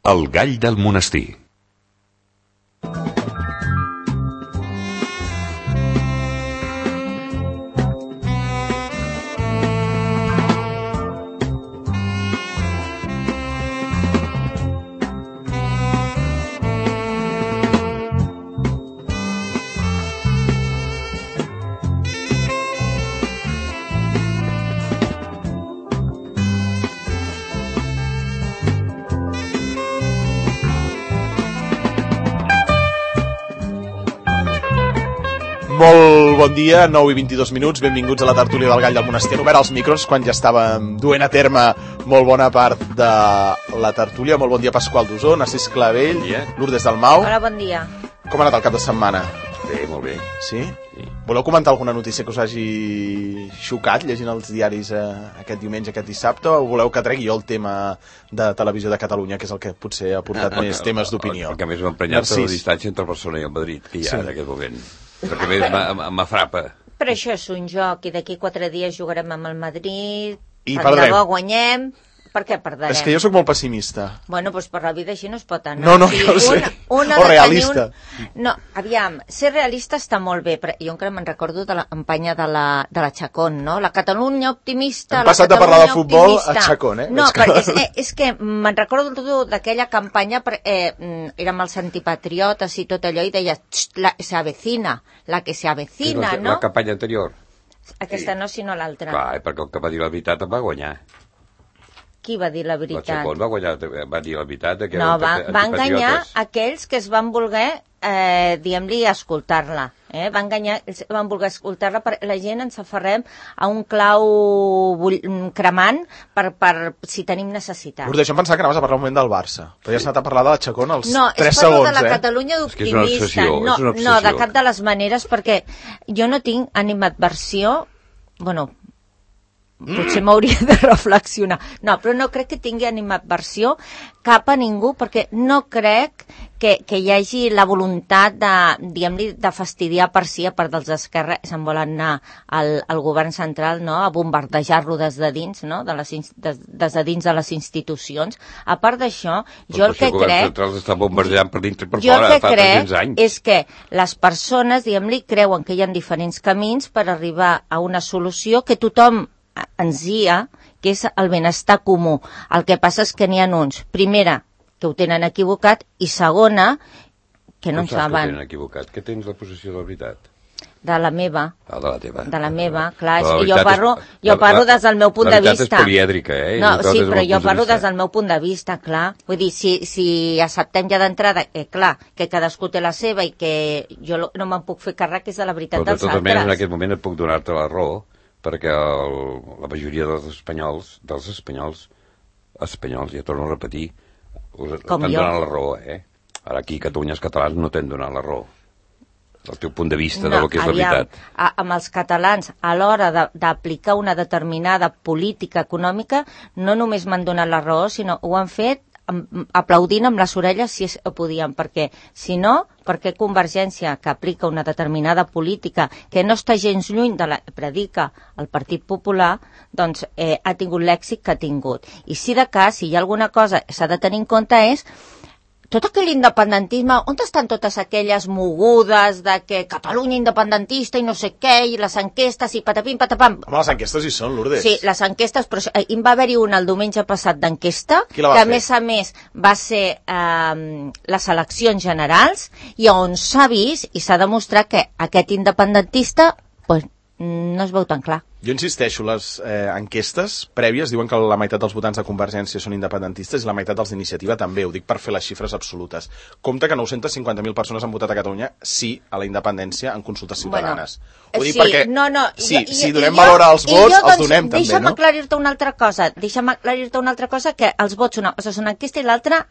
El gall del monestir. Molt bon dia, 9:22, benvinguts a la tertúlia del Gall del Monestir. Han obert els micros quan ja estàvem duent a terme molt bona part de la tertúlia. Molt bon dia, Pasqual Dusó, Narcís Clavell, Lourdes Dalmau. Hola, bon dia. Com ha anat el cap de setmana? Bé, molt bé. Sí? Voleu comentar alguna notícia que us hagi xocat llegint els diaris aquest diumenge, aquest dissabte, o voleu que tregui jo el tema de Televisió de Catalunya, que és el que potser ha portat més temes d'opinió? El que més m'ha emprenyat és la distància entre Barcelona i el Madrid, que hi ha en aquest moment. El que més m'afrapa. Però això és un joc, i d'aquí 4 dies jugarem amb el Madrid, I tant de bo guanyem. Per què perdrem? És que jo sóc molt pessimista. Bueno, doncs per la vida així no es pot anar. No, ja ho sé. O realista. No, aviam, ser realista està molt bé, però jo encara me'n recordo de la campanya de la Chacón, no? La Catalunya optimista, hem passat de parlar de futbol a Chacón, No, és que me'n recordo d'aquella campanya, érem els antipatriotes i tot allò, i deia, se avecina, la que se avecina, no? La campanya anterior. Aquesta no, sinó l'altra. Clar, perquè el que va dir la veritat em va guanyar. Qui va dir la veritat? La Chacón va dir la veritat. No, va enganyar aquells que es van voler, diguem-li, escoltar-la. Van voler escoltar-la, la gent ens aferrem a un clau cremant per si tenim necessitat. Lourdes, jo em pensava que anaves a parlar un moment del Barça, però ja has anat a parlar de la Chacón als 3 segons. No, és parlar de la Catalunya d'optimista. No, de cap de les maneres, perquè jo no tinc animadversió, bueno, potser m'hauria de reflexionar. No, però no crec que tingui animadversió cap a ningú, perquè no crec que hi hagi la voluntat de fastidiar per si, a part dels d'Esquerra, se'n volen anar al govern central, no?, a bombardejar-lo des de dins, no?, des de dins de les institucions. A part d'això, jo el que crec... El govern central està bombardejant per dintre i per fora, fa 300 anys. És que les persones, diguem-li, creuen que hi ha diferents camins per arribar a una solució que tothom enzia, que és el benestar comú. El que passa és que n'hi ha uns, primera, que ho tenen equivocat, i segona, que no en saben. Que tenen equivocat? Que tens la possessió de la veritat? De la meva. Ah, de la teva. De la meva, clar. Jo parlo des del meu punt de vista. La veritat és polièdrica, No, sí, però jo parlo des del meu punt de vista, clar. Vull dir, si acceptem ja d'entrada, clar, que cadascú té la seva i que jo no me'n puc fer càrrec, és de la veritat dels altres. Però de totes maneres, en aquest moment et puc donar-te la raó, perquè la majoria dels espanyols, ja torno a repetir, t'han donat la raó, Ara aquí, Catalunya, els catalans no t'han donat la raó. El teu punt de vista del que és la veritat. Amb els catalans, a l'hora d'aplicar una determinada política econòmica, no només m'han donat la raó, sinó ho han fet aplaudint amb les orelles si podien, perquè si no, perquè Convergència, que aplica una determinada política que no està gens lluny de la que predica el Partit Popular, doncs ha tingut l'èxit que ha tingut. I si de cas, si hi ha alguna cosa que s'ha de tenir en compte és tot aquell independentisme, on estan totes aquelles mogudes de que Catalunya independentista i no sé què, i les enquestes i patapim, patapam. Home, les enquestes hi són, Lourdes. Sí, les enquestes, però va haver-hi una el diumenge passat d'enquesta, que a més va ser les eleccions generals, i on s'ha vist i s'ha demostrat que aquest independentista no es veu tan clar. Jo insisteixo, les enquestes prèvies diuen que la meitat dels votants de Convergència són independentistes i la meitat dels d'Iniciativa també, ho dic per fer les xifres absolutes. Compte que 950.000 persones han votat a Catalunya sí a la independències en consultes ciutadanes. Ho dic perquè si donem valor als vots, els donem també, no? Deixa'm aclarir-te una altra cosa, que els vots una cosa és una enquesta i l'altra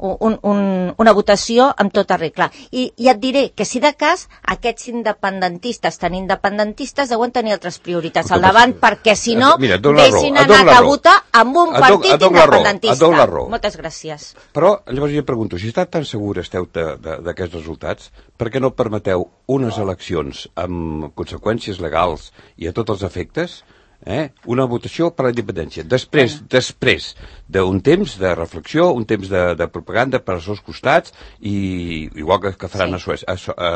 una votació amb tota regla. I et diré que si de cas aquests independentistes tan independentistes deuen tenir altres prioritats al davant, perquè si no deixin anar a votar amb un partit independentista. Moltes gràcies. Però llavors jo pregunto, si està tan segura esteu d'aquests resultats, per què no permeteu unes eleccions amb conseqüències legals i a tots els efectes una votació per la independència. Després d'un temps de reflexió, un temps de propaganda per als seus costats, i igual que faran a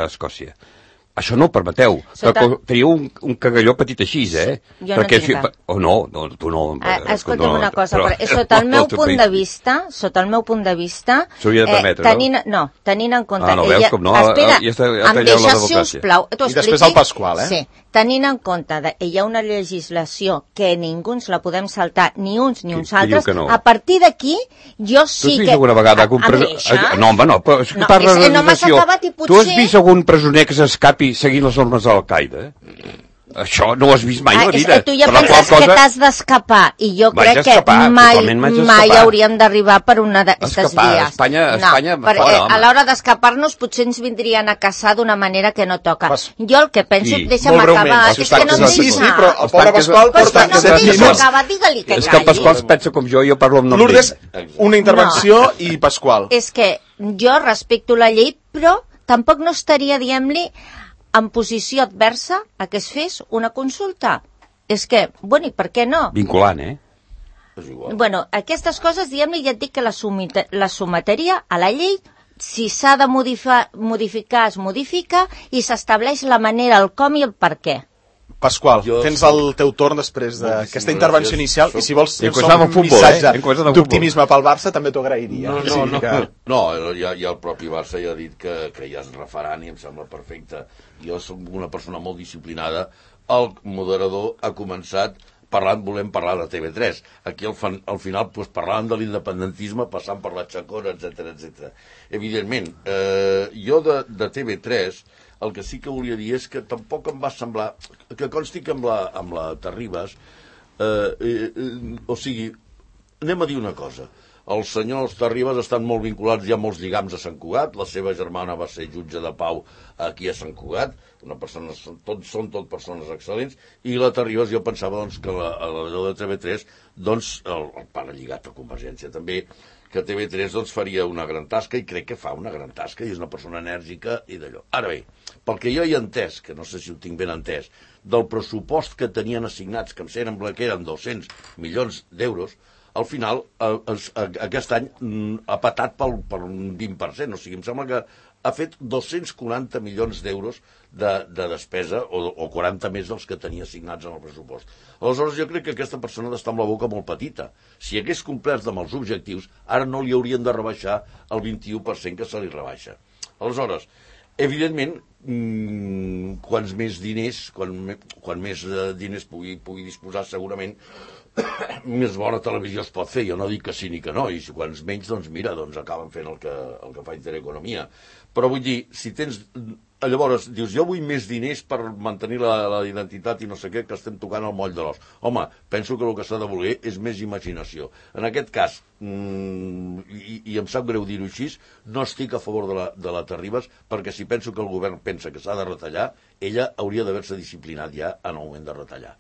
Escòcia. Això no ho permeteu. Teniu un cagalló petit així, Jo no tinc cap. No, tu no. Escolta'm una cosa, sota el meu punt de vista, s'hauria de permetre, no? Tenint en compte... no veus com no? Espera, em deixa, sisplau... I després el Pasqual, Sí, tenint en compte que hi ha una legislació que ningú ens la podem saltar, ni uns ni uns altres, a partir d'aquí, jo sí que... Tu has vist alguna vegada... No, home, no, però parla de legislació. Tu has vist algun presoner que s'escapi seguint les normes de l'Al-Qaeda? Això no ho has vist mai a la vida. Tu ja penses que t'has d'escapar, i jo crec que mai hauríem d'arribar per una d'aquestes vies. Espanya a l'hora d'escapar-nos potser ens vindrien a caçar d'una manera que no toca. Jo el que penso, deixa'm acabar, és que no em deixa. Sí, però el pobre Pasqual porta 7 minuts. Digue-li que calli. És que el Pasqual pensa com jo parlo amb nom d'ell. Lourdes, una intervenció i Pasqual. És que jo respecto la llei, però tampoc no estaria, diguem-li, en posició adversa a que es fes una consulta. És que, bueno, i per què no? Vinculant, Bueno, aquestes coses, diguem-li, ja et dic que la sometria a la llei, si s'ha de modificar, es modifica, i s'estableix la manera, el com i el per què. Pasqual, tens el teu torn després d'aquesta intervenció inicial, i si vols un missatge d'optimisme pel Barça també t'ho agrairia. No, ja el propi Barça ja ha dit que ja es refaran i em sembla perfecte. Jo soc una persona molt disciplinada. El moderador ha començat volem parlar de TV3. Aquí al final parlàvem de l'independentisme passant per la xacora, etc. Evidentment, jo de TV3 el que sí que volia dir és que tampoc em va semblar que consti que amb la Terribas o sigui, anem a dir una cosa, els senyors Terribas estan molt vinculats, hi ha molts lligams a Sant Cugat, la seva germana va ser jutge de pau aquí a Sant Cugat, són tot persones excel·lents, i la Terribas jo pensava que la de TV3 el pare lligat a Convergència també, que TV3 faria una gran tasca, i crec que fa una gran tasca, i és una persona enèrgica i d'allò. Ara bé, pel que jo he entès, que no sé si ho tinc ben entès, del pressupost que tenien assignats, que em sembla que eren 200 milions d'euros, al final, aquest any ha patat per un 20%, o sigui, em sembla que ha fet 240 milions d'euros de despesa, o 40 més dels que tenia assignats en el pressupost. Aleshores, jo crec que aquesta persona ha d'estar amb la boca molt petita. Si hagués complert amb els objectius, ara no li haurien de rebaixar el 21% que se li rebaixa. Aleshores, evidentment, quants més diners, quan més diners pugui disposar, segurament més bona televisió es pot fer. Jo no dic que sí ni que no, i quants menys, acaben fent el que fa Intereconomia. Però vull dir, si tens... Llavors, dius, jo vull més diners per mantenir la identitat i no sé què, que estem tocant el moll de l'os. Home, penso que el que s'ha de voler és més imaginació. En aquest cas, i em sap greu dir-ho així, no estic a favor de la Terribas, perquè si penso que el govern pensa que s'ha de retallar, ella hauria d'haver-se disciplinat ja en el moment de retallar.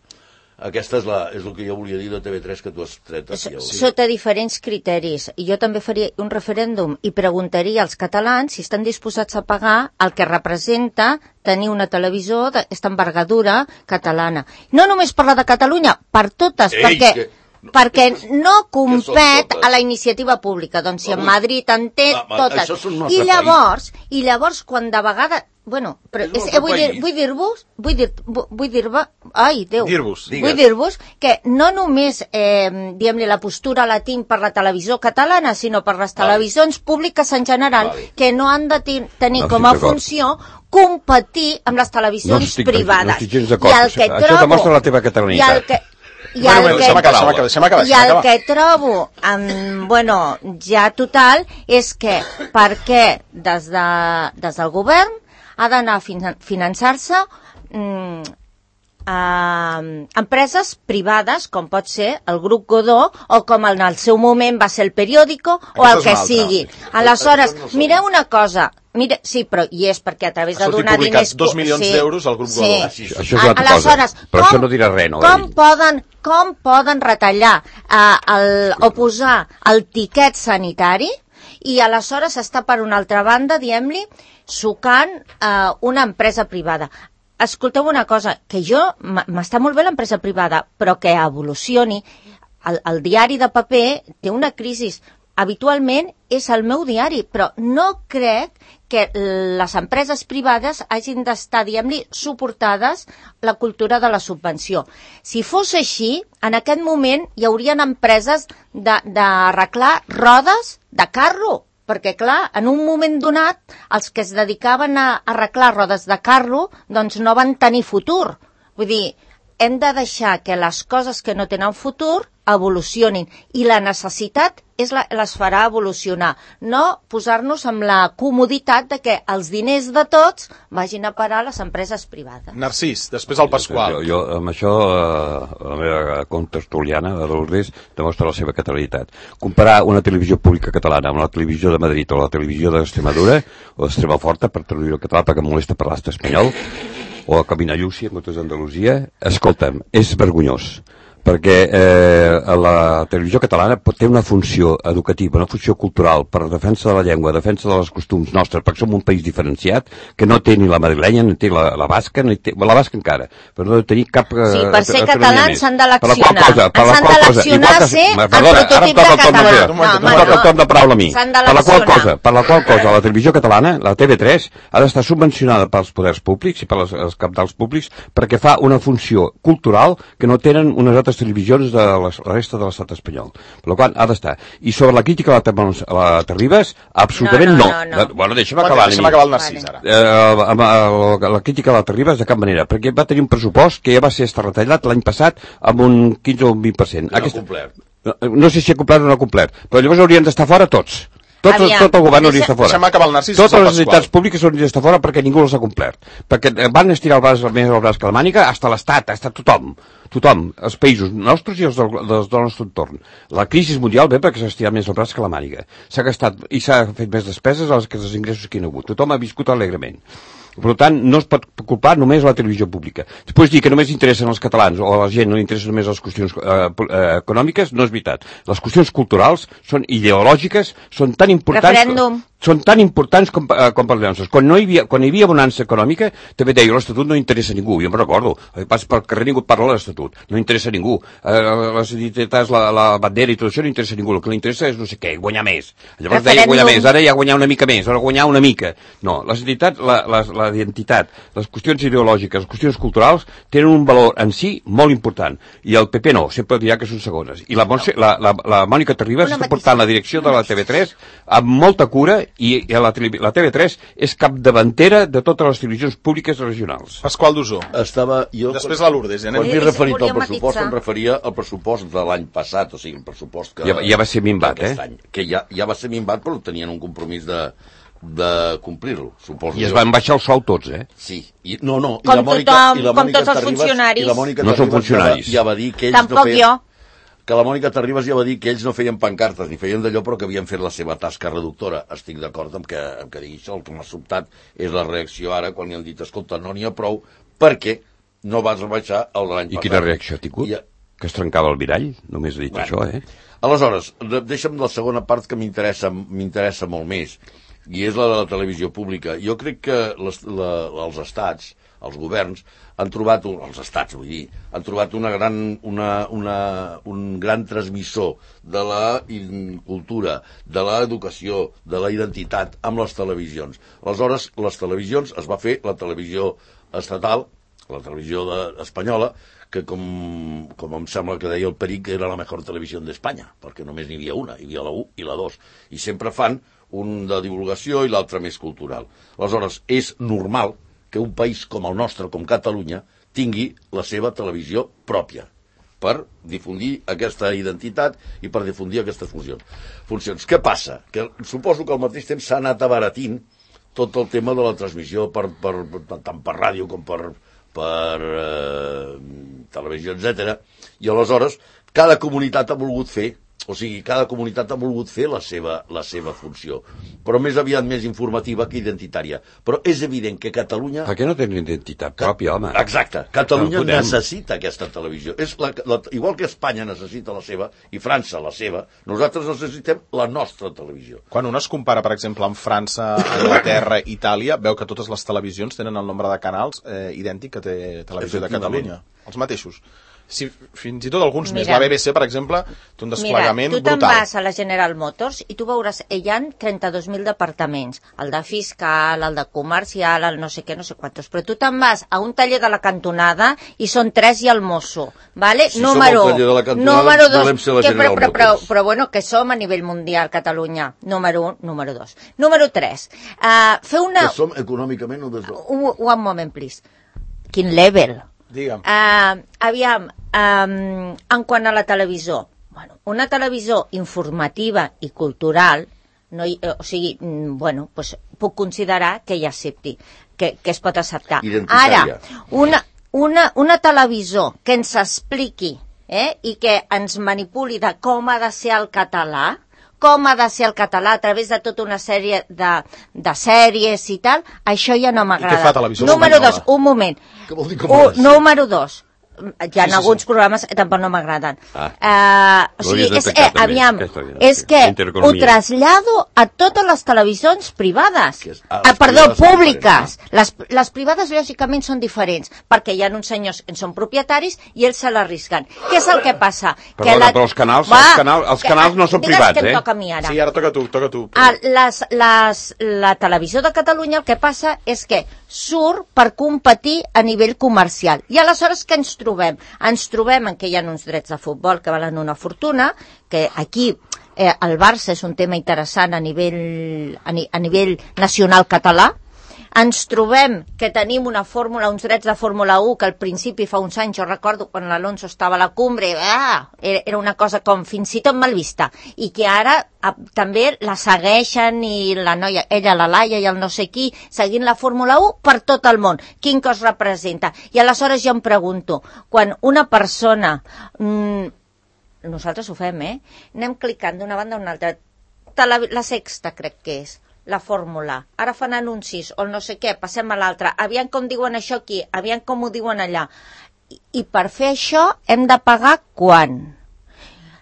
Aquesta és el que jo volia dir de TV3 que tu has tret aquí. Sota diferents criteris. Jo també faria un referèndum i preguntaria als catalans si estan disposats a pagar el que representa tenir una televisió d'aquesta envergadura catalana. No només per la de Catalunya, per totes, perquè no compet a la iniciativa pública. Doncs si en Madrid en té totes. I llavors, quan de vegades... Bueno, però vull dir-vos que no només diguem-li la postura la tinc per la televisió catalana, sinó per les televisions públiques en general, que no han de tenir com a funció competir amb les televisions privades. No estic gens d'acord. Això demostra la teva catalanitat. I el que trobo, ja total, és que perquè des del govern ha d'anar a finançar-se empreses privades, com pot ser el grup Godó, o com en el seu moment va ser el Periódico, o el que sigui. Aleshores, mireu una cosa, sí, però hi és perquè a través de donar diners... 2 milions d'euros al grup Godó. Això és una altra cosa, però això no dirà res, no? Com poden retallar o posar el tiquet sanitari i aleshores està per una altra banda, diguem-li, sucant una empresa privada? escolteu una cosa, que m'està molt bé l'empresa privada, però que evolucioni. El diari de paper té una crisi. Habitualment és el meu diari, però no crec que les empreses privades hagin d'estar, diguem-li, suportades la cultura de la subvenció. Si fos així, en aquest moment hi haurien empreses d'arreglar rodes de carro, perquè, clar, en un moment donat, els que es dedicaven a arreglar rodes de carro, doncs no van tenir futur. Vull dir, hem de deixar que les coses que no tenen futur evolucionin, i la necessitat les farà evolucionar, no posar-nos amb la comoditat de que els diners de tots vagin a parar a les empreses privades. Narcís, després el Pasqual. Jo amb això, la meva contertuliana, de Lourdes, demostra la seva catalanitat. Comparar una televisió pública catalana amb la televisió de Madrid o la televisió d'Extremadura, o d'Extremoforta, per traduir el català, perquè em molesta parlar espanyol, o a Caminallúcia, en comptes d'Andalusia, escolta'm, és vergonyós, perquè la televisió catalana té una funció educativa, una funció cultural per defensa de la llengua, defensa dels costums nostres, perquè som un país diferenciat, que no té ni la madrilenya, ni té la basca, ni té la basca encara, però no té cap... Sí, per ser catalans s'han d'eleccionar. S'han d'eleccionar a ser el prototip de català. Em toca el torn de paraula a mi. Per la qual cosa la televisió catalana, la TV3, ha d'estar subvencionada pels poders públics i pels capdals públics perquè fa una funció cultural que no tenen unes altres televisions de la resta de l'estat espanyol. Per la qual ha d'estar. I sobre la crítica a la Terribas, absolutament no. Bueno, deixa'm acabar el Narcís, ara. La crítica a la Terribas de cap manera, perquè va tenir un pressupost que ja va ser retallat l'any passat amb un 15 o un 20%. No sé si ha complert o no ha complert, però llavors haurien d'estar fora tots. Tot el govern hauria d'estar fora. Deixa'm acabar el Narcís. Totes les entitats públiques haurien d'estar fora perquè ningú les ha complert. Perquè van estirar més el braç que la màniga, hasta l'Estat, hasta tothom, els països nostres i els del nostre entorn. La crisi mundial ve perquè s'ha estirat més el braç que la màniga. S'ha gastat i s'ha fet més despeses que els ingressos que hi ha hagut. Tothom ha viscut alegrement. Per tant, no es pot culpar només la televisió pública. Després dir que només interessen els catalans o a la gent no interessen només les qüestions econòmiques, no és veritat. Les qüestions culturals són ideològiques, són tan importants... Referèndum. Són tan importants com per les. Quan hi havia bonança econòmica, també deia, l'Estatut no interessa a ningú. Jo me'n recordo, pas pel carrer ningú parla de l'Estatut. No interessa a ningú. Les identitats, la bandera i tot això no interessa a ningú. El que li interessa és no sé què, guanyar més. Llavors deia guanyar més, ara ja guanyar una mica més, ara guanyar una mica. No, les identitats, la identitat, les qüestions ideològiques, les qüestions culturals tenen un valor en si molt important. I el PP no, sempre dirà que són segones. I la Mònica Terribas està portant la direcció de la TV3 amb molta cura i la TV3 és capdavantera de totes les televisions públiques regionals. Pasqual Dusó. Després la Lourdes. Quan m'he referit al pressupost, em referia al pressupost de l'any passat, o sigui, el pressupost que... Ja va ser minvat, any, que ja va ser minvat, però tenien un compromís de complir-lo, suposo. I es van baixar el sou tots, Sí. Com tots els funcionaris. No són funcionaris. Ja va dir que ells Tampoc jo. Que la Mònica Terribas ja va dir que ells no feien pancartes ni feien d'allò, però que havien fet la seva tasca reductora. Estic d'acord amb que digui això. El que m'ha sobtat és la reacció ara quan li han dit, escolta, no n'hi ha prou perquè no vas rebaixar el de l'any passat. I quina reacció ha tingut? Que es trencava el mirall? Només ha dit això, Aleshores, deixa'm la segona part que m'interessa molt més, i és la de la televisió pública. Jo crec que els estats, els governs, han trobat un gran transmissor de la cultura, de l'educació, de la identitat amb les televisions. Aleshores, les televisions, es va fer la televisió estatal, la televisió espanyola, que com em sembla que deia el Peric, era la millor televisió d'Espanya, perquè només n'hi havia una, hi havia la 1 i la 2, i sempre fan un de divulgació i l'altre més cultural. Aleshores, és normal que un país com el nostre, com Catalunya, tingui la seva televisió pròpia per difundir aquesta identitat i per difundir aquestes funcions. Què passa? Que suposo que al mateix temps s'ha anat abaratint tot el tema de la transmissió tant per ràdio com per televisió, etc. I aleshores cada comunitat ha volgut fer O sigui, cada comunitat ha volgut fer la seva funció, però més aviat més informativa que identitària. Però és evident que Catalunya... Per què no tenen identitat pròpia, home? Exacte. Catalunya necessita aquesta televisió. Igual que Espanya necessita la seva, i França la seva, nosaltres necessitem la nostra televisió. Quan un es compara, per exemple, amb França, Anglaterra, Itàlia, veu que totes les televisions tenen el nombre de canals idèntic que té Televisió de Catalunya. Els mateixos. Si, fins i tot alguns més. La BBC, per exemple, té un desplegament brutal. Mira, tu te'n vas a la General Motors i tu veuràs, hi ha 32.000 departaments, el de fiscal, el de comercial, el no sé què, no sé quantos, però tu te'n vas a un taller de la cantonada i són 3 i el mosso, vale? Si número 2, volem ser la General Motors. Però bueno, que som a nivell mundial, Catalunya, número 1, número 2. Número 3, fer una... Que som econòmicament o des de... One moment, please. Quin level? Digue'm. Aviam, en quant a la televisió, bueno, una televisió informativa i cultural, no hi, o sigui, bueno, pues, puc considerar que hi accepti, que es pot acceptar. Ara, una televisió que ens expliqui i que ens manipuli de com ha de ser el català, a través de tota una sèrie de sèries i tal, això ja no m'agrada. I què fa televisió? Número 2, un moment. Què vol dir com ha de ser? Número 2. Hi ha alguns programes que tampoc no m'agraden. O sigui, aviam, és que ho trasllado a totes les televisions privades. Perdó, públiques. Les privades, lògicament, són diferents, perquè hi ha uns senyors que en són propietaris i ells se l'arrisquen. Què és el que passa? Perdona, però els canals no són privats, que em toca a mi ara. Sí, ara toca tu. La televisió de Catalunya el que passa és que surt per competir a nivell comercial. I aleshores què ens trobem? Ens trobem en què hi ha uns drets de futbol que valen una fortuna, que aquí el Barça és un tema interessant a nivell nacional català. Ens trobem que tenim una fórmula, uns drets de Fórmula 1, que al principi fa uns anys, jo recordo quan l'Alonso estava a la cumbre, era una cosa com fins i tot mal vista, i que ara també la segueixen, i la noia, ella, la Laia i el no sé qui, seguint la Fórmula 1 per tot el món. Quin cos representa? I aleshores jo em pregunto, quan una persona, nosaltres ho fem, anem clicant d'una banda a una altra, la Sexta crec que és, la fórmula, ara fan anuncis o no sé què, passem a l'altra, aviam com diuen això aquí, aviam com ho diuen allà, i per fer això hem de pagar quan?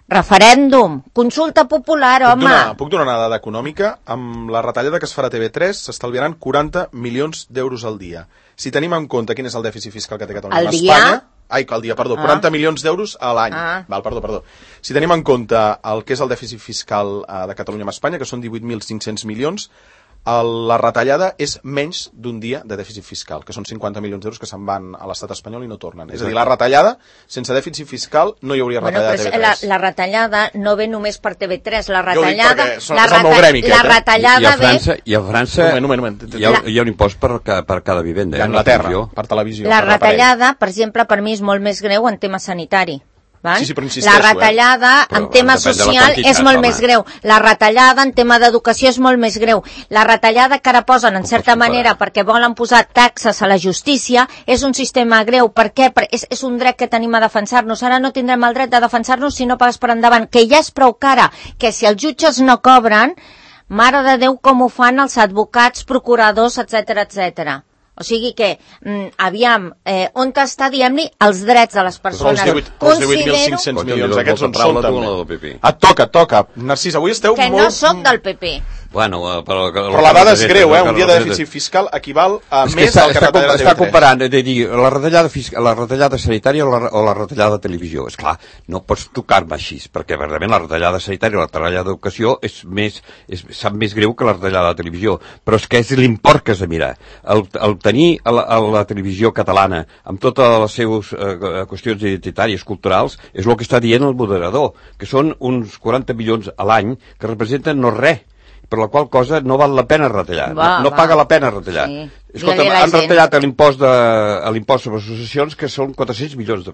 Referèndum, consulta popular, home. Puc donar una dada econòmica? Amb la retallada que es farà a TV3 s'estalviaran 40 milions d'euros al dia. Si tenim en compte quin és el dèficit fiscal que té Catalunya amb Espanya... al dia, perdó, 40 milions d'euros a l'any. Perdó. Si tenim en compte el que és el dèficit fiscal de Catalunya amb Espanya, que són 18.500 milions, la retallada és menys d'un dia de dèficit fiscal, que són 50 milions d'euros que se'n van a l'estat espanyol i no tornen. És a dir, la retallada, sense dèficit fiscal, no hi hauria retallada a TV3. La retallada no ve només per TV3, la retallada... és el meu gremi, la retallada ve... I a França hi ha un impost per cada vivenda. I a Anglaterra, per televisió. La retallada, per exemple, per mi és molt més greu en tema sanitari. Sí, però insisteixo, la retallada en tema social és molt més greu. La retallada en tema d'educació és molt més greu. La retallada que ara posen, en certa manera, perquè volen posar taxes a la justícia, és un sistema greu. Per què? És un dret que tenim a defensar-nos. Ara no tindrem el dret de defensar-nos si no pagues per endavant, que ja és prou cara, que si els jutges no cobren, mare de Déu com ho fan els advocats, procuradors, etc. O sigui que, aviam, on està, diguem-li, els drets de les persones? Els 18.500 milions, aquests on són també. Et toca. Narcís, avui esteu molt... Que no soc del PP. Bueno, però la dada és greu, un dia de dèficit fiscal equival a més del que retalla TV3. Està comparant, la retallada sanitària o la retallada de televisió. Esclar, no pots tocar-me així, perquè verdament la retallada sanitària o la retallada d'educació sap més greu que la retallada de televisió, però és que és l'import que has de mirar. El tenir la televisió catalana amb totes les seves qüestions identitàries, culturals, és el que està dient el moderador, que són uns 40 milions a l'any que representen no res, per la qual cosa no val la pena retallar, no paga la pena retallar. Sí. Escolta, han retallat l'impost sobre associacions, que són 400 milions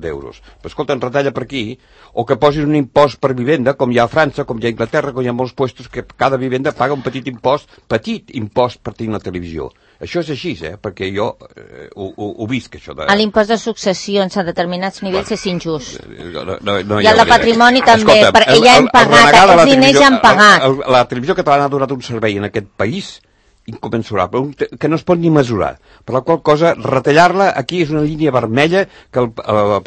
d'euros. Però escolta, en retalla per aquí, o que posin un impost per vivenda, com hi ha a França, com hi ha a Anglaterra, com hi ha molts puestos que cada vivenda paga un petit impost per tenir la televisió. Això és així, perquè jo ho visc, això de... L'impost de successions a determinats nivells és injust. No, I el de patrimoni també, perquè ja hem pagat, aquests diners ja han pagat. La televisió catalana ha donat un servei en aquest país inconmensurable, que no es pot ni mesurar. Per la qual cosa, retallar-la aquí és una línia vermella que el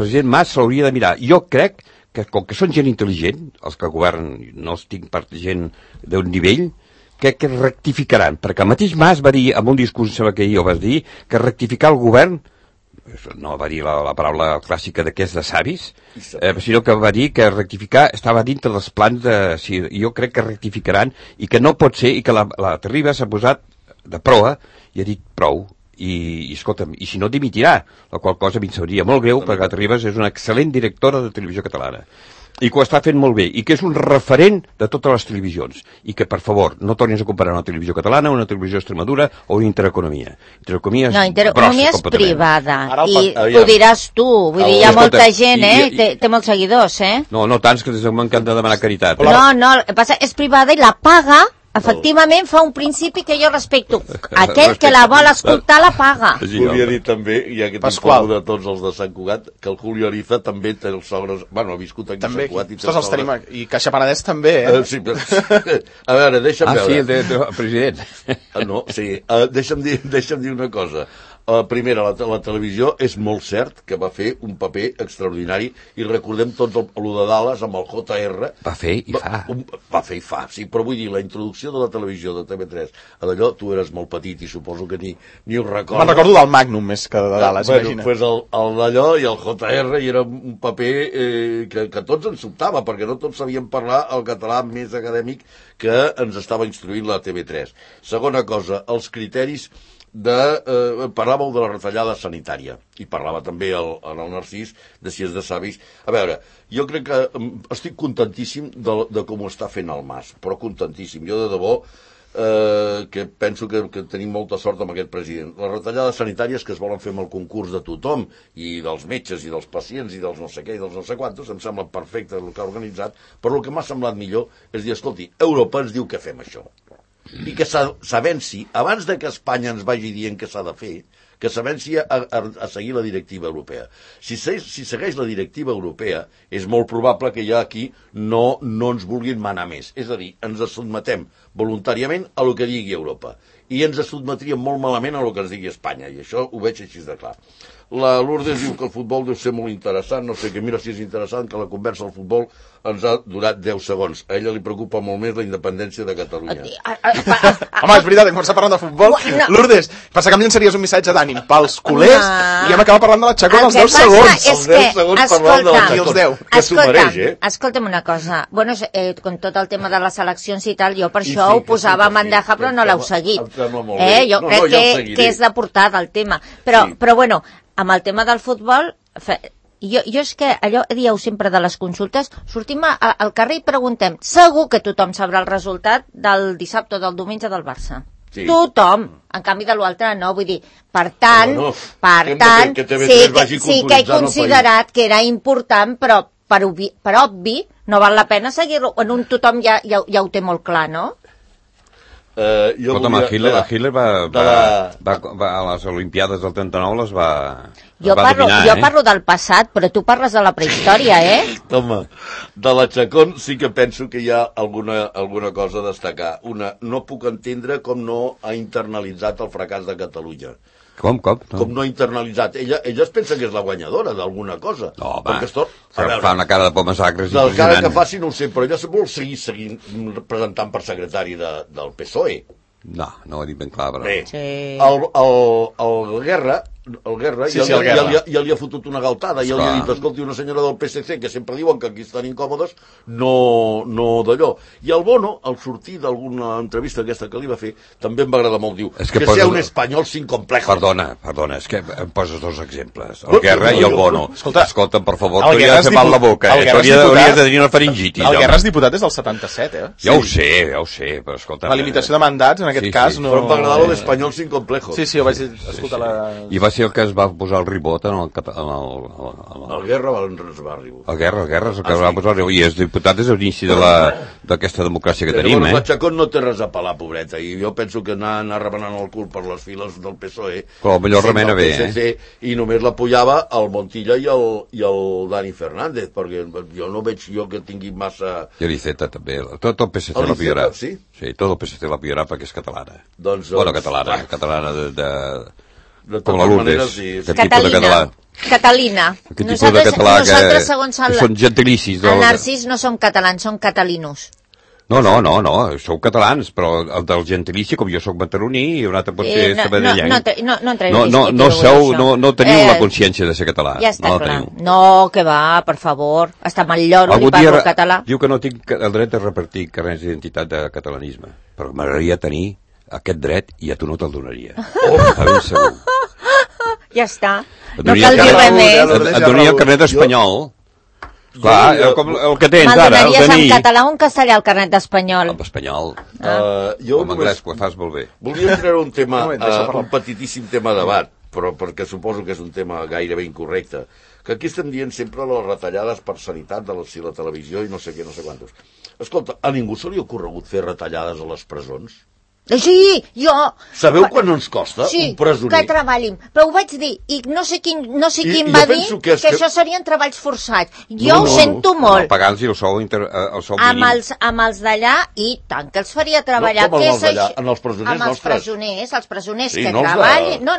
president Mas s'hauria de mirar. Jo crec que, com que són gent intel·ligent, els que governen, no els tinc per gent d'un nivell, que rectificaran, perquè el mateix Mas va dir, amb un discurs, sembla que ahir ho vas dir, que rectificar el govern, no va dir la paraula clàssica d'aquests de savis, sinó que va dir que rectificar estava dintre dels plans jo crec que rectificaran, i que no pot ser, i que la Terriba s'ha posat de proa, i ha dit prou, i escolta'm, i si no dimitirà, la qual cosa a mi em sabria molt greu, perquè la Terribas és una excel·lent directora de televisió catalana, i que ho està fent molt bé, i que és un referent de totes les televisions, i que, per favor, no tornis a comparar una televisió catalana, una televisió Extremadura o una Intereconomia. Intereconomia és Intereconomia és privada, i ho diràs tu, vull dir, hi ha molta gent, té molts seguidors, No tants, que m'encanta demanar caritat. No, és privada i la paga. Efectivament fa un principi que jo respecto. Aquell que la vol escoltar la paga. Volia dir també, ja que t'informo de tots els de Sant Cugat, que el Julio Ariza també té els sogres... Bueno, ha viscut aquí a Sant Cugat. Els tenim, i Caixa Penedès també, Sí, a veure, deixa'm veure. Sí, el president. No, sí, deixa'm dir una cosa. Primera, la televisió és molt cert que va fer un paper extraordinari, i recordem tots el de Dallas amb el JR. Va fer i fa. Va fer i fa, sí, però vull dir, la introducció de la televisió de TV3, d'allò, tu eres molt petit i suposo que ni ho recordes. Me'n recordo del Magnum més que de Dallas, imagina. Pues el d'allò i el JR, i era un paper que tots ens sobtava, perquè no tots sabíem parlar el català més acadèmic que ens estava instruint la TV3. Segona cosa, els criteris parlàveu de la retallada sanitària, i parlava també el Narcís de si és de savis. A veure, jo crec que estic contentíssim de com ho està fent el Mas, però contentíssim. Jo de debò que penso que tenim molta sort amb aquest president. Les retallades sanitàries que es volen fer amb el concurs de tothom, i dels metges i dels pacients i dels no sé què i dels no sé quantos, em sembla perfecte el que ha organitzat, però el que m'ha semblat millor és dir, escolti, Europa ens diu que fem això, i que s'avenci, abans de que Espanya ens vagi dient què s'ha de fer, que s'avenci a seguir la directiva europea. Si segueix la directiva europea, és molt probable que ja aquí no ens vulguin manar més. És a dir, ens sotmetem voluntàriament a lo que digui Europa, i ens sotmetríem molt malament a lo que ens digui Espanya, i això ho veig així de clar. La Lourdes diu que el futbol deu ser molt interessant, no sé, que mira si és interessant, que la conversa al futbol ens ha durat 10 segons. A ella li preocupa molt més la independència de Catalunya. Home, és veritat, hem començat parlant de futbol. Lourdes, pensa que em llançaries un missatge d'ànim pels culers i hem acabat parlant de la Chacón als 10 segons. Els 10 segons parlant de la Chacón, que s'ho mereix, Escolta'm una cosa. Bueno, con tot el tema de les eleccions i tal, jo per això ho posava a bandeja, però no l'heu seguit. Jo crec que és de portada el tema. Però bueno, amb el tema del futbol, jo és que allò dieu sempre de les consultes, sortim al carrer i preguntem, segur que tothom sabrà el resultat del dissabte o del diumenge del Barça. Sí. Tothom. En canvi de l'altre no, vull dir, per tant, sí que he considerat que era important, però per obvi no val la pena seguir-lo, en un tothom ja ho té molt clar, no? Escolta'm, Hitler va a les Olimpiades del 39 les va dominar, Jo parlo del passat, però tu parles de la prehistòria, Home, de la Chacón sí que penso que hi ha alguna cosa a destacar. No puc entendre com no ha internalitzat el fracàs de Catalunya. Com? Com no ha internalitzat. Ella es pensa que és la guanyadora d'alguna cosa. No, home, fa una cara de por massacres. La cara que faci no ho sé, però ella vol seguir presentant per secretari del PSOE. No ho he dit ben clar, però... Bé, el Guerra el Guerra, Sí, el Guerra. ja li ha fotut una galtada, ja li ha dit, escolti, una senyora del PSC, que sempre diuen que aquí estan incòmodes, no d'allò. I el Bono, al sortir d'alguna entrevista aquesta que li va fer, també em va agradar molt, diu, que sea un espanyol sin complejos. Perdona, és que em poses dos exemples, el Guerra i el Bono. Escolta, per favor, t'hauria de fer mal la boca, t'hauria de tenir una faringitis. El Guerra és diputat des del 77, Ja ho sé, però escolta... La limitació de mandats, en aquest cas, no... Però em va agradar l'espanyol sin complejos. Sí, ho vaig dir, escolta la... I va ser el que es va posar el ribot en el... El Guerra es va arribar. El Guerra és el que es va posar el ribot, i és diputat des de l'inici d'aquesta democràcia que tenim, La Chacón no té res a pelar, pobreta, i jo penso que anar remenant el cul per les files del PSOE... Però millor remena bé, I només l'apoyava el Montilla i el Dani Fernández, perquè jo no veig que tingui massa... I l'Iceta també, tot el PSC l'apoyarà. Sí? Sí, tot el PSC l'apoyarà perquè és catalana. Doncs catalana de com la Lourdes, que tipus de català. Catalina. Que tipus de català nosaltres, segons que són gentilicis. El Narcís no som catalans, som catalinos. No, sou catalans, però el del gentilici, com jo sóc mataroní, i un altre pot ser sabadellenc. No teniu la consciència de ser català. Ja està clar. No, que va, per favor. Hasta mal lloro li parlo català. Diu que no tinc el dret de repartir carnets d'identitat de catalanisme, però m'agradaria tenir aquest dret i a tu no te'l donaria. A ben segur. Ja està. No cal dir res més. Et donaria el carnet espanyol. Clar, com el que tens ara, el donaries en català o en castellà el carnet d'espanyol? En espanyol. Jo en anglès, ho fas molt bé. Volia treure un tema, un petitíssim tema de debat, però perquè suposo que és un tema gairebé incorrecte, que aquí estem dient sempre les retallades per sanitat de la televisió i no sé què, no sé quantos. Escolta, a ningú se li ha ocorregut fer retallades a les presons? Sí, jo... Sabeu quan ens costa un presoner? Sí, que treballin. Però ho vaig dir, i no sé quin va dir que això serien treballs forçats. Jo ho sento molt. No, pagant-los el sou mínim. Amb els d'allà, i tant que els faria treballar. Com els d'allà? En els presoners nostres? Els presoners que treballin... No.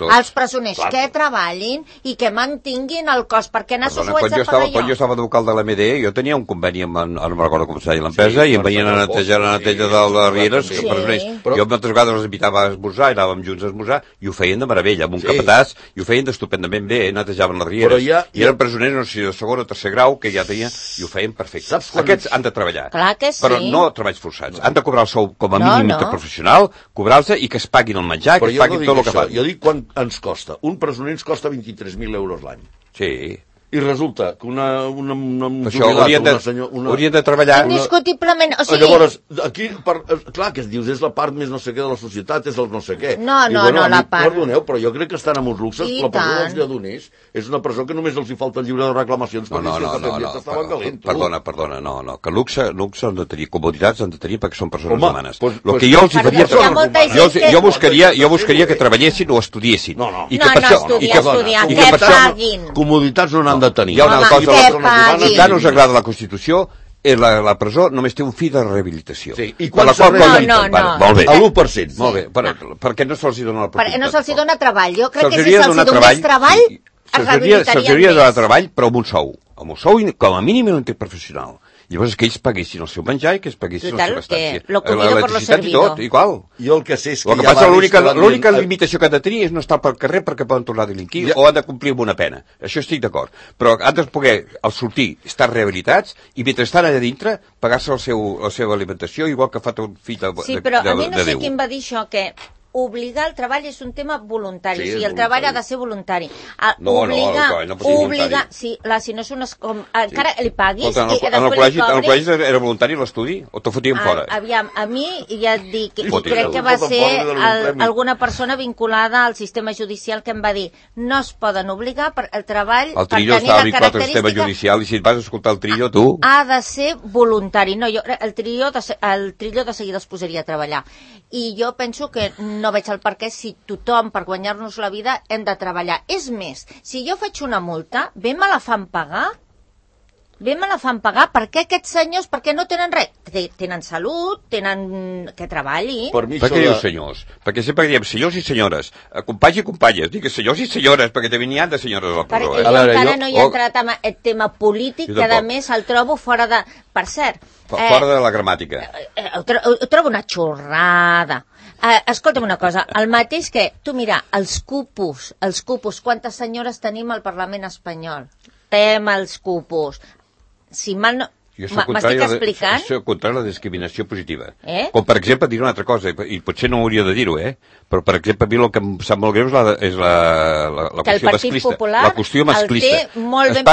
Els presoners que treballin i que mantinguin el cost, perquè anar s'ho haig de pagar jo. Quan jo estava d'alcalde de l'MD, jo tenia un conveni amb, no me'n recordo com s'ha dit l'empresa, i em venien a netejar la neteja de les rieres, que presoners. Jo moltes vegades els invitava a esmorzar, i anàvem junts a esmorzar, i ho feien de meravella, amb un capatàs, i ho feien d'estupendament bé, netejaven les rieres, i eren presoners, no sé, de segon o tercer grau, que ja tenien, i ho feien perfecte. Aquests han de treballar, però no treballs forçats, han de cobrar el sou com a mínim interprofessional, cobrar-los i que es paguin el menjar, que es paguin tot el que fan. Jo dic quan ens costa. Un presoner ens costa 23.000 euros l'any. Sí. I resulta que una això haurien de treballar... Indiscutiblement, o sigui... Llavors, aquí, clar, que es dius, és la part més no sé què de la societat, és el no sé què. No, la part... Perdoneu, però jo crec que estan amb uns luxes, la presó dels lledoners és una presó que només els hi falta el llibre de reclamacions. Perdona, no, que luxe han de tenir, comoditats han de tenir perquè són persones humanes. El que jo els faria... Jo buscaria que treballessin o estudiessin. No, estudiar, que paguin. Comoditats no n'han de tenir. Hi ha una cosa, si tant us agrada la Constitució, la presó només té un fi de rehabilitació. Sí, i quan no. Molt bé. L'1%. Molt bé, per què no se'ls dona l'oportunitat? Perquè no se'ls dona treball. Jo crec que si se'ls donés treball, es rehabilitarien més. Se'ls hauria de donar treball, però amb un sou. Amb un sou, com a mínim, interprofessional. Llavors que ells paguessin el seu menjar i que ells paguessin la seva estància. L'electricitat i tot, igual. Jo el que sé és que el que passa, l'única limitació que han de tenir és no estar pel carrer perquè poden tornar a delinquir o han de complir amb una pena. Això estic d'acord. Però han de poder, al sortir, estar rehabilitats i mentre estan allà dintre, pagar-se la seva alimentació igual que fa tot fill de Déu. Sí, però a mi no sé qui em va dir això, que obligar el treball és un tema voluntari, o sigui, el treball ha de ser voluntari. No voluntari. Si no és unes... encara li paguis... En el col·legi era voluntari l'estudi o te fotien fora? Aviam, a mi ja et dic, i crec que va ser alguna persona vinculada al sistema judicial que em va dir no es poden obligar per el treball el Trillo estava vinculat al sistema judicial i si et vas escoltar el Trillo, tu... Ha de ser voluntari. No, el Trillo de seguida els posaria a treballar. I jo penso que no veig el perquè si tothom, per guanyar-nos la vida, hem de treballar. És més, si jo faig una multa, bé me la fan pagar? Per què aquests senyors, per què no tenen res? Tenen salut, tenen que treballin. Per què dius senyors? Perquè sempre diem senyors i senyores, companys i companyes, digues senyors i senyores, perquè també n'hi ha de senyores a la presó. Jo encara no hi he entrat en el tema polític, que a més el trobo fora de... Per cert... Fora de la gramàtica. Ho trobo una xorrada. Escolta'm una cosa, el mateix que, tu mira, els cupos, quantes senyores tenim al Parlament espanyol? Els cupos. Si mal no... M'estic explicant? Jo soc contrari a la discriminació positiva. Com, per exemple, dir una altra cosa, i potser no hauria de dir-ho, però, per exemple, a mi el que em sap molt greu és la qüestió masclista. La qüestió masclista. Es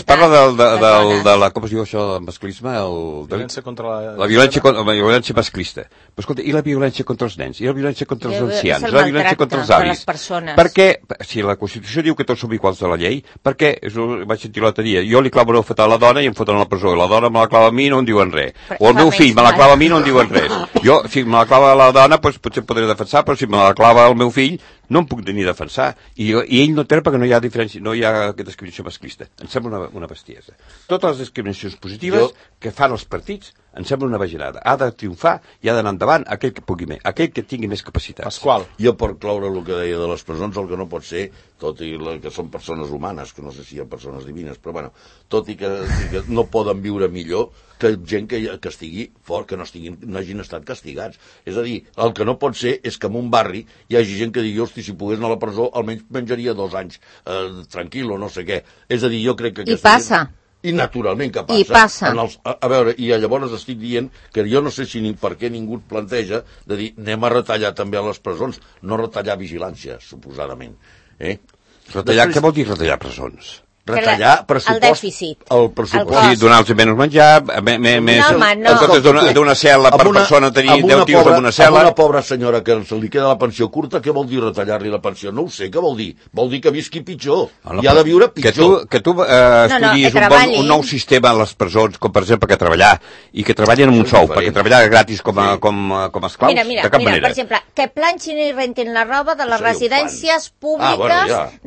parla de la... Com es diu això, el masclisme? La violència masclista. Però, escolta, i la violència contra els nens? I la violència contra els ancians? I la violència contra els avis? Per què, si la Constitució diu que tots som iguals de la llei, per què, vaig sentir l'altre dia, jo li clavo una feta a la dona i em foten a la presó, i la dona me la clava a mi i no em diuen res. O el meu fill me la clava a mi i no em diuen res. Jo, si me la clava la dona, doncs potser podré defensar, però si me la clava el meu fill, no em puc ni defensar. I ell no té perquè no hi ha diferència, no hi ha discriminació masclista. Em sembla una bestiesa. Totes les discriminacions positives que fan els partits em sembla una bajanada. Ha de triomfar i ha d'anar endavant aquell que pugui més, aquell que tingui més capacitat. Pasqual. Jo, per cloure el que deia de les presons, el que no pot ser, tot i que són persones humanes, que no sé si hi ha persones divines, però bueno, tot i que no poden viure millor que gent que estigui fort, que no hagin estat castigats. És a dir, el que no pot ser és que en un barri hi hagi gent que digui, hosti, si pogués anar a la presó, almenys menjaria 2 anys tranquil o no sé què. És a dir, jo crec que... I passa. I naturalment que passa. I passa. A veure, i llavors estic dient que jo no sé si per què ningú planteja de dir anem a retallar també a les presons, no retallar vigilància, suposadament. Retallar, què vol dir retallar presons? Retallar pressupost... El dèficit. El pressupost. O sigui, donar-los menys menjar, d'una cel·la per persona tenir 10 tios en una cel·la... A una pobra senyora que se li queda la pensió curta, què vol dir retallar-li la pensió? No ho sé, què vol dir? Vol dir que visqui pitjor. I ha de viure pitjor. Que tu estudiïs un nou sistema a les presons, com per exemple que treballar, i que treballin amb un sou, perquè treballar gratis com a esclaus, de cap manera. Per exemple, que planxin i rentin la roba de les residències públiques...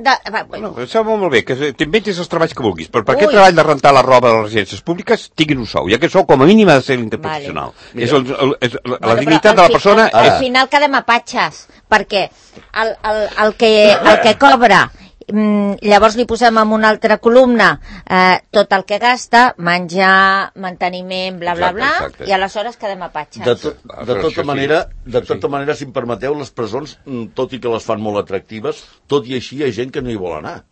Bueno, això va molt bé, que t'inventis els treballs que vulguis, però per aquest treball de rentar la roba de les residències públiques tinguin un sou, i aquest sou com a mínim ha de ser interprofessional. És la dignitat de la persona... Al final quedem a patxes, perquè el que cobra, llavors li posem en una altra columna tot el que gasta, menjar, manteniment, bla, bla, bla, i aleshores quedem a patxes. De tota manera, si em permeteu, les presons, tot i que les fan molt atractives, tot i així hi ha gent que no hi vol anar.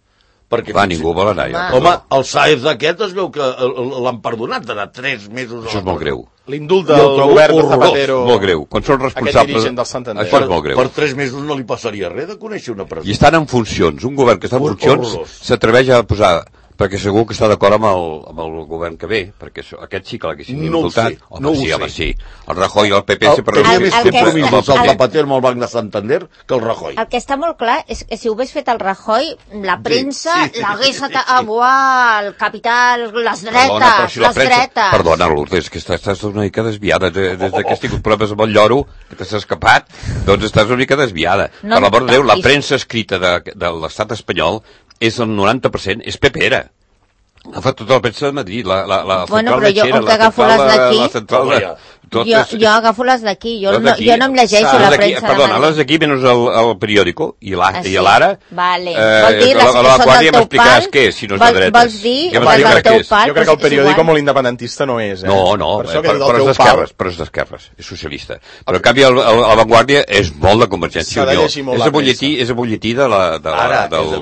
Ningú vol anar. Home, el Sáez d'aquest es veu que l'han perdonat, d'anar 3 mesos... Això és molt greu. L'indult del govern de Zapatero... Molt greu. Quan són responsables... Això és molt greu. Per 3 mesos no li passaria res de conèixer una presó. I estan en funcions. Un govern que està en funcions s'atreveix a posar... Perquè segur que està d'acord amb el govern que ve, perquè aquest sí que l'haguessin indultat. Home, sí. El Rajoy i el PP sempre... El Zapatero amb el Banc de Santander que el Rajoy. El que està molt clar és que si ho hagués fet el Rajoy, la premsa l'hagués... el capital, les dretes... Perdona, Lourdes, que estàs una mica desviada. Des que has tingut problemes amb el lloro, que t'has escapat, doncs estàs una mica desviada. Per l'amor de Déu, la premsa escrita de l'estat espanyol és el 90%, és pepera. Fa tota la premsa de Madrid, la central de Xera, la central de... Jo agafo les d'aquí, jo no em llegeixo la premsa de Madrid. Perdona, les d'aquí menys el periòdico i l'Ara. Vol dir les que són del teu pal? Què és, si no és de dretes? Vols dir les del teu pal? Jo crec que el periòdico molt independentista no és. No, però és d'esquerres, és socialista. Però en canvi la Vanguardia és molt de Convergència i Unió. És el butlletí de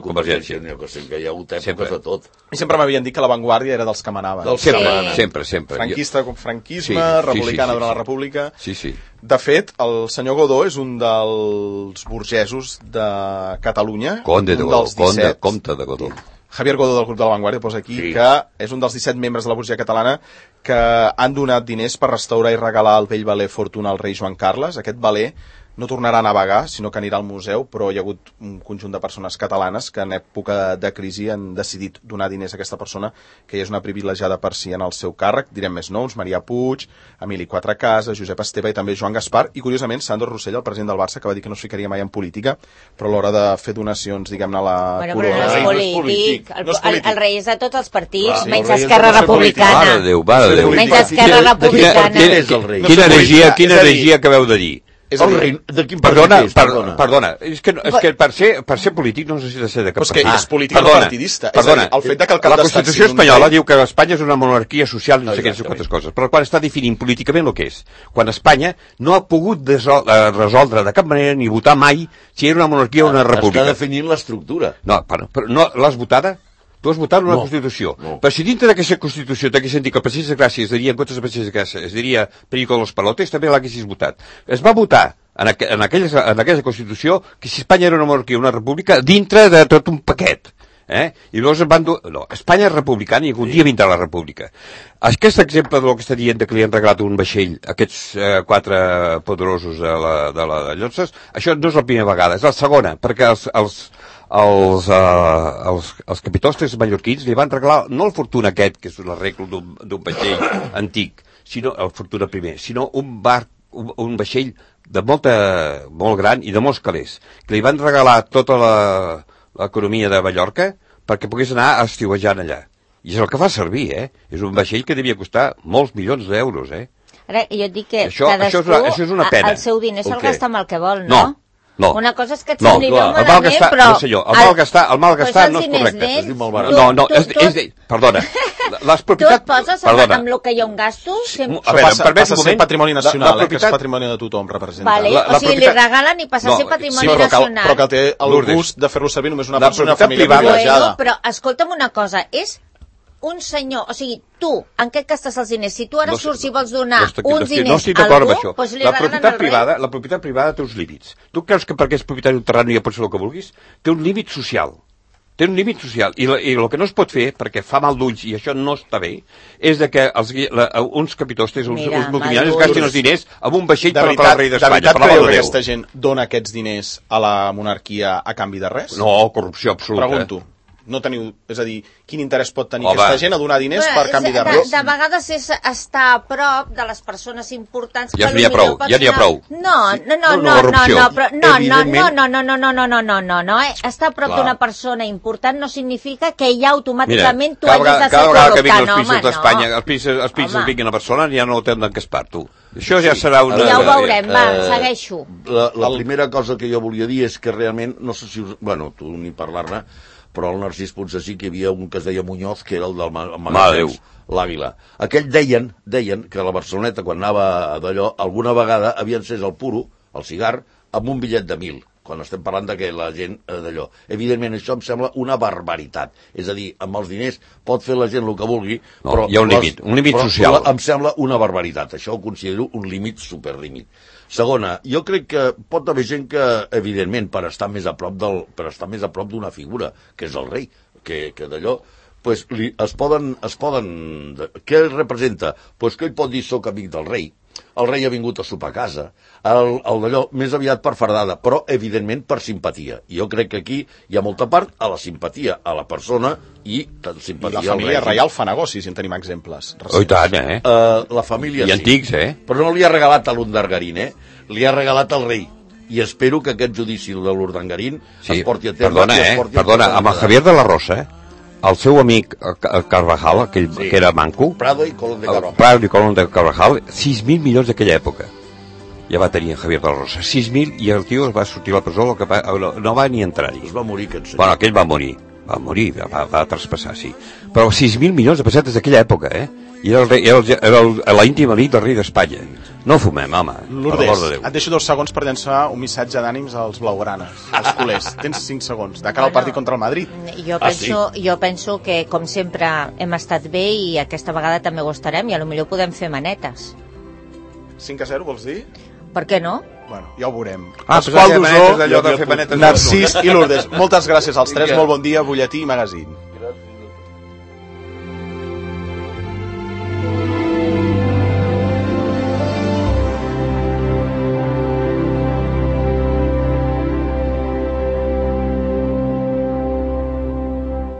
Convergència. Que hi ha hagut èpoques de tot. I sempre m'havien dit que la Vanguardia era dels que manaven. Sempre. Franquisme, republicana durant la República. Sí. De fet, el senyor Godó és un dels burgesos de Catalunya. Comte de Godó. Javier Godó del grup de la Vanguardia posa aquí que és un dels 17 membres de la burgesia catalana que han donat diners per restaurar i regalar el vell veler Fortuna al rei Joan Carles. Aquest veler no tornarà a navegar, sinó que anirà al museu, però hi ha hagut un conjunt de persones catalanes que en època de crisi han decidit donar diners a aquesta persona, que és una privilegiada per si en el seu càrrec. Direm més noms: Maria Puig, Emili Quatrecases, Josep Esteve i també Joan Gaspar, i curiosament Sandro Rossell, el president del Barça, que va dir que no es ficaria mai en política, però a l'hora de fer donacions, diguem-ne, a la corona... No és polític. El rei és de tots els partits, menys Esquerra Republicana. Mare de Déu. Menys Esquerra Republicana. Quina heregia que veu de dir? És a dir, de quin partit és? Perdona, és que per ser polític no necessita ser de cap partit. Però és que és polític no partidista. Perdona, el fet que el cap la Constitució espanyola diu que Espanya és una monarquia social i no sé què, quantes coses, però quan està definint políticament el que és, quan Espanya no ha pogut resoldre de cap manera ni votar mai si era una monarquia o una república. Està definint l'estructura. No, però no l'has votada? Tu has votat una Constitució. No. Però si dintre d'aquesta Constitució t'hagués sentit que el Passeig de Gràcia es diria, en comptes de Passeig de Gràcia, es diria Perico de los Palotes, també l'haguessis votat. Es va votar en aquella Constitució que si Espanya era una monarquia o una república dintre de tot un paquet. I llavors van dur... No, Espanya és republicana i algun dia vindrà la república. Aquest exemple del que està dient que li han regalat un vaixell a aquests 4 poderosos de la Llotses, això no és la primera vegada, és la segona, perquè els capitostres mallorquins li van regalar no el Fortuna aquest, que és un arreglo d'un vaixell antic, sinó el Fortuna primer, sinó un vaixell de molt gran i de molts calés, que li van regalar tota l'economia de Mallorca perquè pogués anar estiuejant allà. I és el que fa servir, És un vaixell que devia costar molts milions d'euros, Ara, jo et dic que això és una pena. El seu diner se'l gasta amb el que vol, no? No. Una cosa és que et sembli bé el mal gastar, però... No, senyor, el mal gastar no és correcte. Perdona. Les propietats... Tu et poses amb el que jo em gasto? A veure, passa a ser patrimoni nacional, que és patrimoni de tothom, representa. Vale, o sigui, li regalen i passa a ser patrimoni nacional. Però que té el gust de fer-lo servir només una persona, una família privilegiada. Però escolta'm una cosa, és un senyor, o sigui, tu, en què gastes els diners? Si tu ara surts i vols donar uns diners a algú, doncs li regalen el rei. La propietat privada té uns límits. Tu creus que perquè és propietat d'un terreny ja pot fer el que vulguis? Té un límit social. Té un límit social. I el que no es pot fer, perquè fa mal d'ulls i això no està bé, és de que uns capitostes, uns multimilionaris gastin els diners amb un vaixell per al rei d'Espanya. De veritat creu que aquesta gent dona aquests diners a la monarquia a canvi de res? No, corrupció absoluta. Pregunto. No teniu, és a dir, quin interès pot tenir aquesta gent a donar diners per canvi de res? De vegades és estar a prop de les persones importants. Ja n'hi ha prou, No, estar a prop d'una persona important no significa que ja automàticament tu hagis de ser corrupte. Cada vegada que vinguin els príncips d'Espanya, els príncips vinguin a Barcelona, ja no tenen d'encaspar, tu. Això ja serà una... Ja ho veurem, va, segueixo. La primera cosa que jo volia dir és que realment, no sé si... Bueno, tu ni parlar-ne, però el Narcís Ponsasí, que hi havia un que es deia Muñoz, que era el del magatzem, l'Àguila. Aquell deien que a la Barceloneta, quan anava d'allò, alguna vegada havia encès el puro, el cigar, amb un bitllet de 1.000, quan estem parlant que la gent d'allò. Evidentment, això em sembla una barbaritat. És a dir, amb els diners pot fer la gent el que vulgui, però... Hi ha un límit social. Em sembla una barbaritat. Això ho considero un límit superlímit. Segona, jo crec que pot haver gent que, evidentment, per estar més a prop d'una figura, que és el rei, que d'allò, pues, es poden... Què representa? Pues que ell pot dir soc amic del rei, el rei ha vingut a sopar a casa, el d'allò més aviat per fardada, però evidentment per simpatia. I jo crec que aquí hi ha molta part a la simpatia a la persona i simpatia al rei. I la família reial fa negocis, si en tenim exemples. Oh, i tant, la família I antics, Però no li ha regalat a l'Urdangarín, li ha regalat al rei. I espero que aquest judici de l'Urdangarín es porti a terme. Perdona, amb el Javier de la Rosa, el seu amic Carvajal, aquell que era manco, Prado i Colón de Carvajal, 6.000 milions d'aquella època. Ja va tenir en Javier de la Rosa. 6.000 i el tio va sortir a la presó, no va ni entrar-hi. Es va morir aquest senyor. Bueno, aquell va morir, va traspassar, sí. Però 6.000 milions de pessetes d'aquella època, I era l'íntima nit del rei d'Espanya. No fumem, home. Lourdes, et deixo 2 segons per llançar un missatge d'ànims als blaugranes, als culers. Tens 5 segons, de cara al partit contra el Madrid. Jo penso que, com sempre, hem estat bé i aquesta vegada també ho estarem i potser podem fer manetes. 5-0, vols dir? Per què no? Bueno, ja ho veurem. Pasqual Dusó, Narcís i Lourdes, moltes gràcies als 3, molt bon dia, butlletí i magazín.